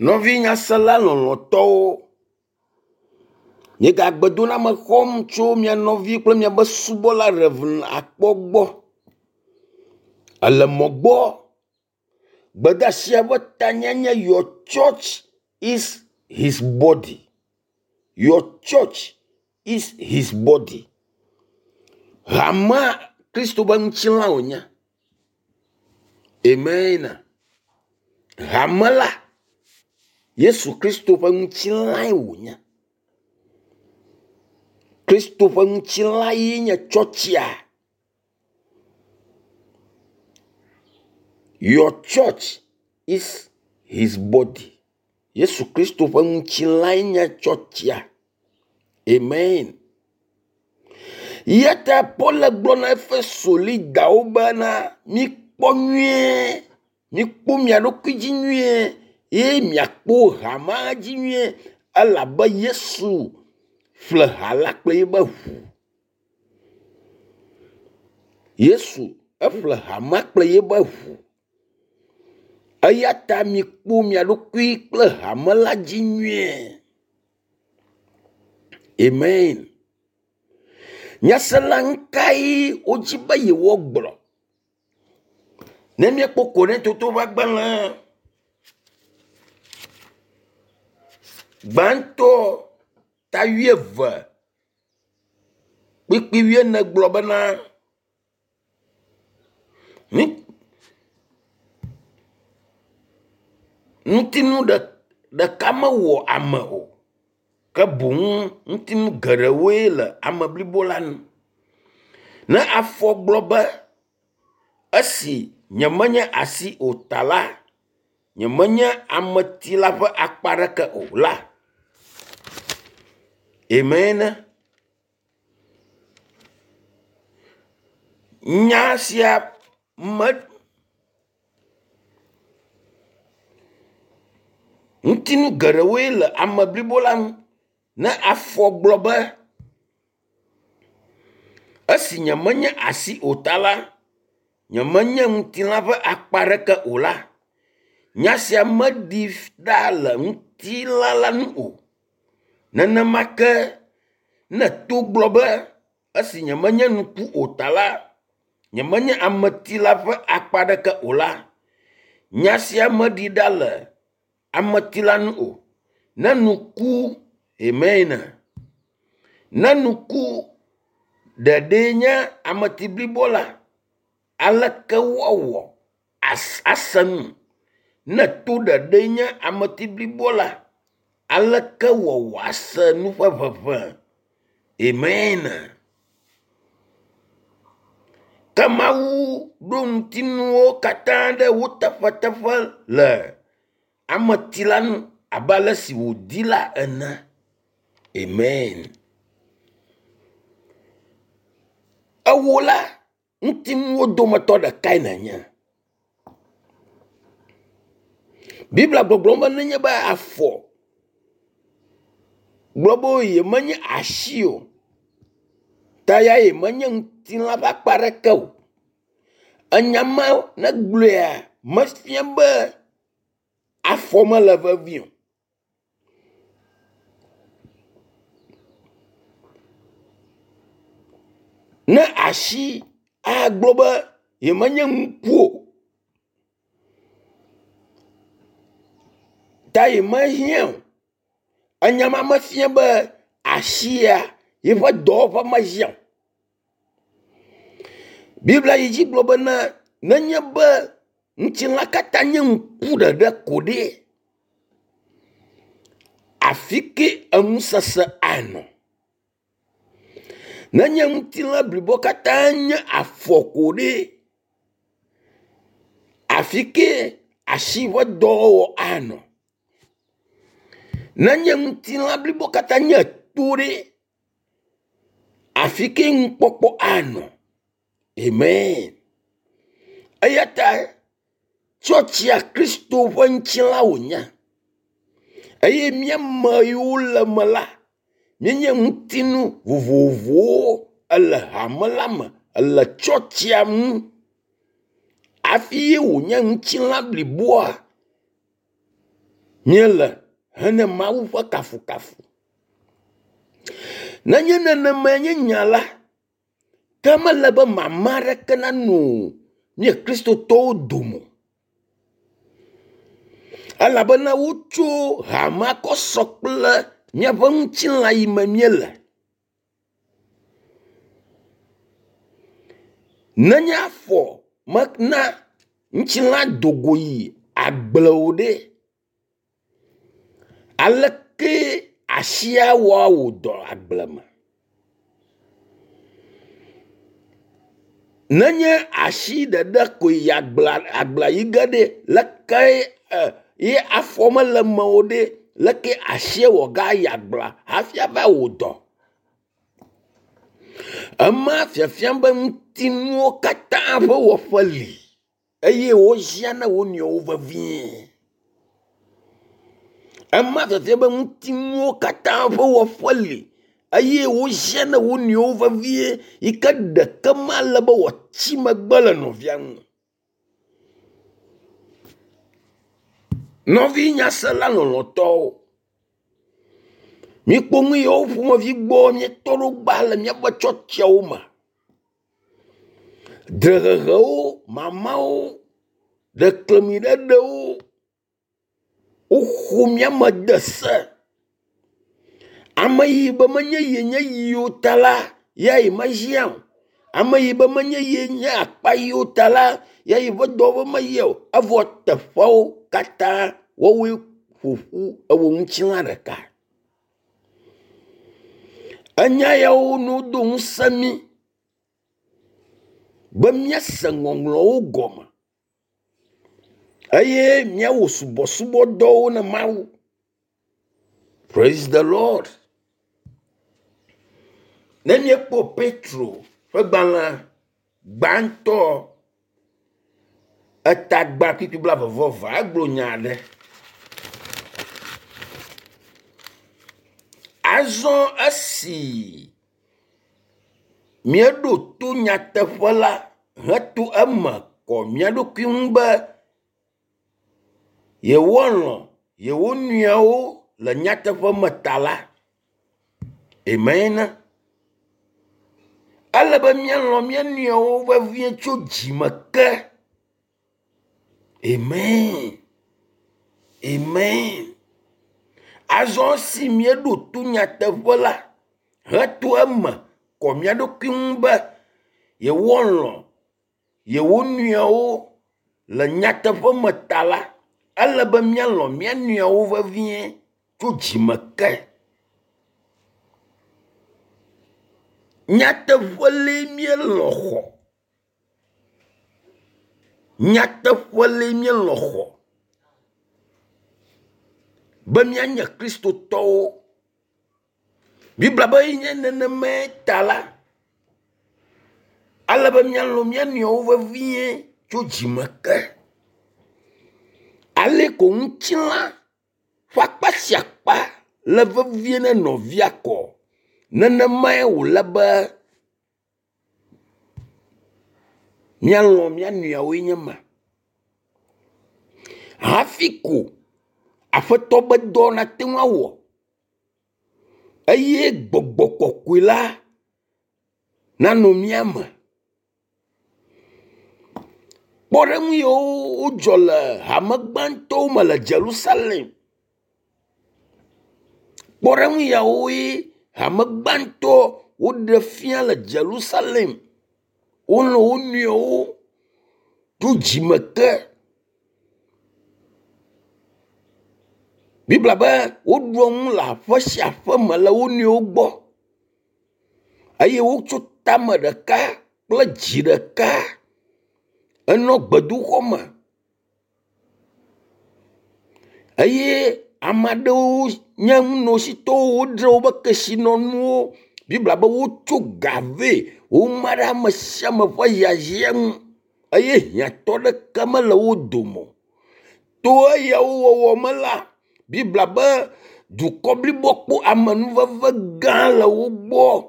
Nɔvi nyasela lɔlɔ̃tɔwo, miegagbe doname xɔm tso mia nɔvi kple miabe subɔla Rev. Akpɔ gbɔ. Ele mɔ gbɔ. Gbedeasia ƒe tanya nye your church is his body. Your church is his body. Hamea Kristo ƒe ŋutilã wònye. Amen. Hame la Yesu Kristo ƒe ŋutilãe wònye. Kristo ƒe ŋutilã ye nye tsɔtsia. Your church is his body. Yesu Kristo ƒe ŋutilãe nye tsɔtsia. Amen. Ya ta Paul gblɔ na Efeso lidawo bena mikpɔ nyuie, mikpɔ mia ɖokui dzi nyuie ye miakpɔ hamea dzi nyuie elabe Yesu ƒle ha la kple eƒe ʋu. Yesu eƒle hamea kple eƒe ʋu. Eya ta mikpɔ mia ɖokui kple hame la dzi nyuie. Amen. Nyasela ŋkae wodzi be yewoagblɔ? Ne míekpɔ Korintotowo ƒe agbalẽ gbãtɔ ta wuieve kpukpui wuiene gblɔ bena ŋutinu ɖeka mewɔ ame o ke boŋ ŋutinu geɖewoe le ame blibo la nu. Ne afɔ gblɔ be esi nyemenye asi o ta la, nyemenye ameti la ƒe akpa aɖeke o la. Amen. Nya sia me ŋutinu geɖewoe le ame blibo la ŋu. Ne afɔ gblɔ be esi nyemenye asi o ta la, nyemenye ŋutilã ƒe akpa aɖeke o la, nya sia meɖi ɖa le ŋutilã la ŋu o. Nenema ke ne to gblɔ be esi nyemenye ŋku o ta la, nyemenye ameti la ƒe akpa aɖeke o la, nya sia meɖi ɖa le ameti la ŋu o. Ne ŋku amen. Ne ŋku ɖeɖee nye ameti blibo la, aleke woawɔ ase nu? Ne to ɖeɖee nye ameti blibo la, aleke wɔ wòase nu ƒe ʋeʋẽ? Amen. Ke Mawu ɖo ŋutinuwo katã ɖe wo teƒeteƒe le ameti la ŋu abe ale si wòdi la ene. Amen. Ewò la, ŋutinuwo dometɔ ɖekae nènye. Biblia gbɔgblɔm be nenye be afɔ gblɔ be yemenye asi o, ta ya yemenye ŋutilã ƒe akpa aɖeke o. Enya ma ne gblɔea mefia be afɔ mele vevie o. Ne asi agblɔ be yemenye ŋku o ta yemehiã o. Enya ma mefia be asia yeƒe dɔwɔƒe mehiã o. Biblia yi dzi gblɔ bena nenye be ŋutilã katã nye ŋku ɖeɖe ko ɖe, afi ke enusese anɔ. Nenye ŋutilã blibo katã nye afɔ ko ɖe, afi ke asi ƒe dɔwɔwɔ anɔ. Nenye ŋutilã blibo katã nye to ɖe, afi ke nukpɔkpɔ anɔ. Amen. Eya ta tsɔtsia Kristo ƒe ŋutilã wònye eye mía ame yiwo le eme la, míenye ŋutinu vovovowo ele hame la me, ele tsɔtsia ŋu hafi ye wònye ŋutilã bliboa. Míele hene Mawu ƒe kafukafu. Nenye nenemae nye nya la, ke mele be mama aɖeke nano mía Kristotɔwo dome o. Elabena wotso hamea kɔ sɔ kple míaƒe ŋutilã yi me míele. Nenye afɔ mena ŋutilã do go yi agble o ɖe, aleke asia wɔ awɔ dɔ agble me? Nenye asi ɖeɖe koe yi agblea agblea yi ge ɖe, leke ye afɔ mele eme o ɖe, leke asie wɔ gayi agblea hafi ava wɔ dɔ? Ema fiafiam be ŋutinuwo katã ƒe wɔƒe li eye woziã na wo nɔewo vevie. Ema fiafiam be ŋutinuwo katã ƒe wɔƒe li eye woziã na wo nɔewo vevie yi ke ɖeke male be wòatsi megbe le nɔvia ŋu. Nɔvi nyasela lɔlɔ̃tɔwo, míekpɔ nu yiwo ƒomevi gbɔ míetɔ ɖo gbã le míaƒe tsɔtsiawo me. Dzrehehewo, mamawo, ɖeklemiɖeɖewo, woxo mía me de se. Ame yi be menye ye nye yi o ta la, ya yemehiã o. Ame yi be menye ye nye akpa yi o ta la, ya yeƒe dɔwɔƒe meyia o. Evɔ teƒeawo katã woawoe ƒo ƒu ewɔ ŋutilã ɖeka. Enya yawo no do ŋusẽ mí be míase ŋɔŋlɔwo gɔme eye míawɔ subɔsubɔdɔwo na Mawu. Praise the Lord. Ne míekpɔ Petro ƒe gbalẽ gbãtɔ etagba kpukpui blaeve-vɔ-eve egblɔ nya aɖe. Azɔ esi míeɖo to nyateƒe la heto eme kɔ mía ɖokui ŋu be yewoalɔ̃ yewo nɔewo le nyateƒe me ta la, amen. Ele be míalɔ̃ mía nɔewo vevie tso dzime ke. Amen. Amen. Azɔ esi míeɖo to nyateƒe la heto eme kɔ mía ɖokui ŋu be yewoalɔ̃ yewo nɔewo le nyateƒe me ta la, ele be míalɔ̃ mía nɔewo vevie tso dzime ke. Nyateƒe lee míelɔ̃ xɔ. Nyateƒe lee míelɔ̃ xɔ be míanye Kristotɔwo. Biblia be nye nenemae ta la, ale be míalɔ̃ mía nɔewo vevie tso dzime ke. Ale ko ŋutilã ƒe akpa sia akpa le vevie ne nɔvia kɔ, nenemae wòle be míalɔ̃ mía nɔewoe nye ma. Hafi ko Aƒetɔ ƒe dɔ nate ŋu awɔ eye gbɔgbɔ kɔkɔe la nanɔ mía me. Kpɔɖeŋu yiwo wodzɔ le hame gbãtɔwo me le Yerusalem. Kpɔɖeŋu yawoe hame gbãtɔ woɖe fia le Yerusalem. Wolɔ̃ wo nɔewo tso dzime ke. Biblia be woɖua nu le aƒe sia aƒe me le wo nɔewo gbɔ eye wotso tame ɖeka kple dzi ɖeka enɔ gbedoxɔ me eye ame aɖewo nye nunɔsitɔwo wodzra woƒe kesinɔnuwo. Biblia be wotso ga vɛ woma ɖe ame sia ame ƒe hiahiã nu eye hiãtɔ ɖeke mele wo dome o. To eyawo wɔwɔ me la, Biblia be dukɔ bliboa kpɔ amenuveve gã le wo gbɔ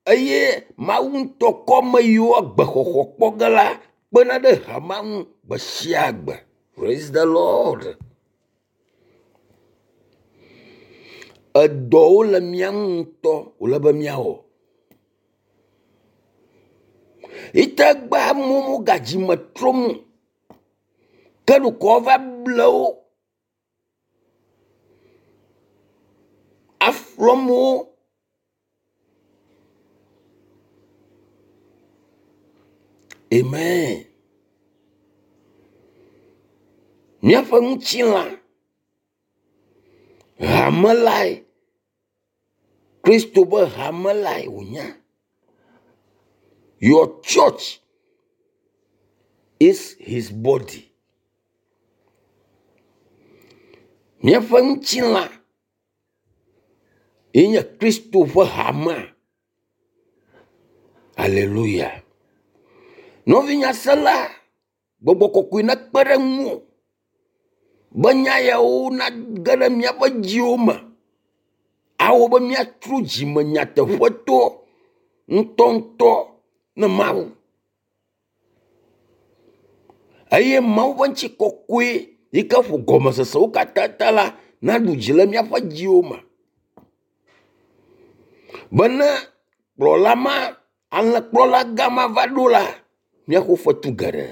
eye Mawu ŋutɔ kɔ ame yiwo agbexɔxɔ kpɔ ge la kpena ɖe hamea ŋu gbe sia gbe. Praise the Lord. Edɔwo le mía ŋu ŋutɔ wòle be míawɔ. Ite gbe amewo mogadzi me trom o. Ke ɖeko woava ble wo aflɔ amewo. Amen. Míaƒe ŋutilã hame lae Kristo be hame lae wònye. Your church is his body. Míaƒe ŋutilã ye nye Kristo ƒe hamea. Aleluya. Nɔvi nyasela, gbɔgbɔ kɔkɔe nekpe ɖe ŋuwò be nya yawo nage ɖe míaƒe dziwo me awɔ be míatrɔ dzime nyateƒetɔ ŋutɔŋutɔ ne Mawu. Eye Mawu ƒe ŋutikɔkɔe yi ke ƒo gɔmesesewo katã ta la naɖu dzi le míaƒe dziwo me. Bene kplɔla ma, alẽkplɔla gã ma va ɖo la, míaxɔ fetu geɖe.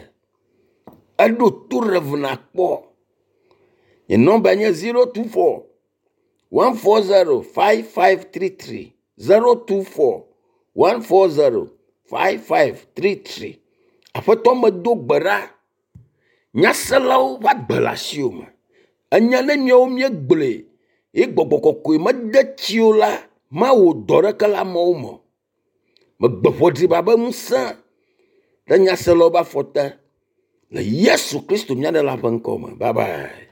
Eɖo to Rev. Nakpɔ. Nye nɔmba nye 024 140 5533 024 140 5533. Aƒetɔ medo gbe ɖa. Nyaselawo ƒe agbe le asiwò me. Enya ne míawo míegblɔe ye gbɔgbɔ kɔkɔe mede tsi o la, mawɔ dɔ ɖeke le amewo me o. Megbe ʋɔdriba be ŋusẽ ɖe nyaselawo ƒe afɔ te le Yesu Kristo mía Ɖela ƒe ŋkɔ me. Bye bye.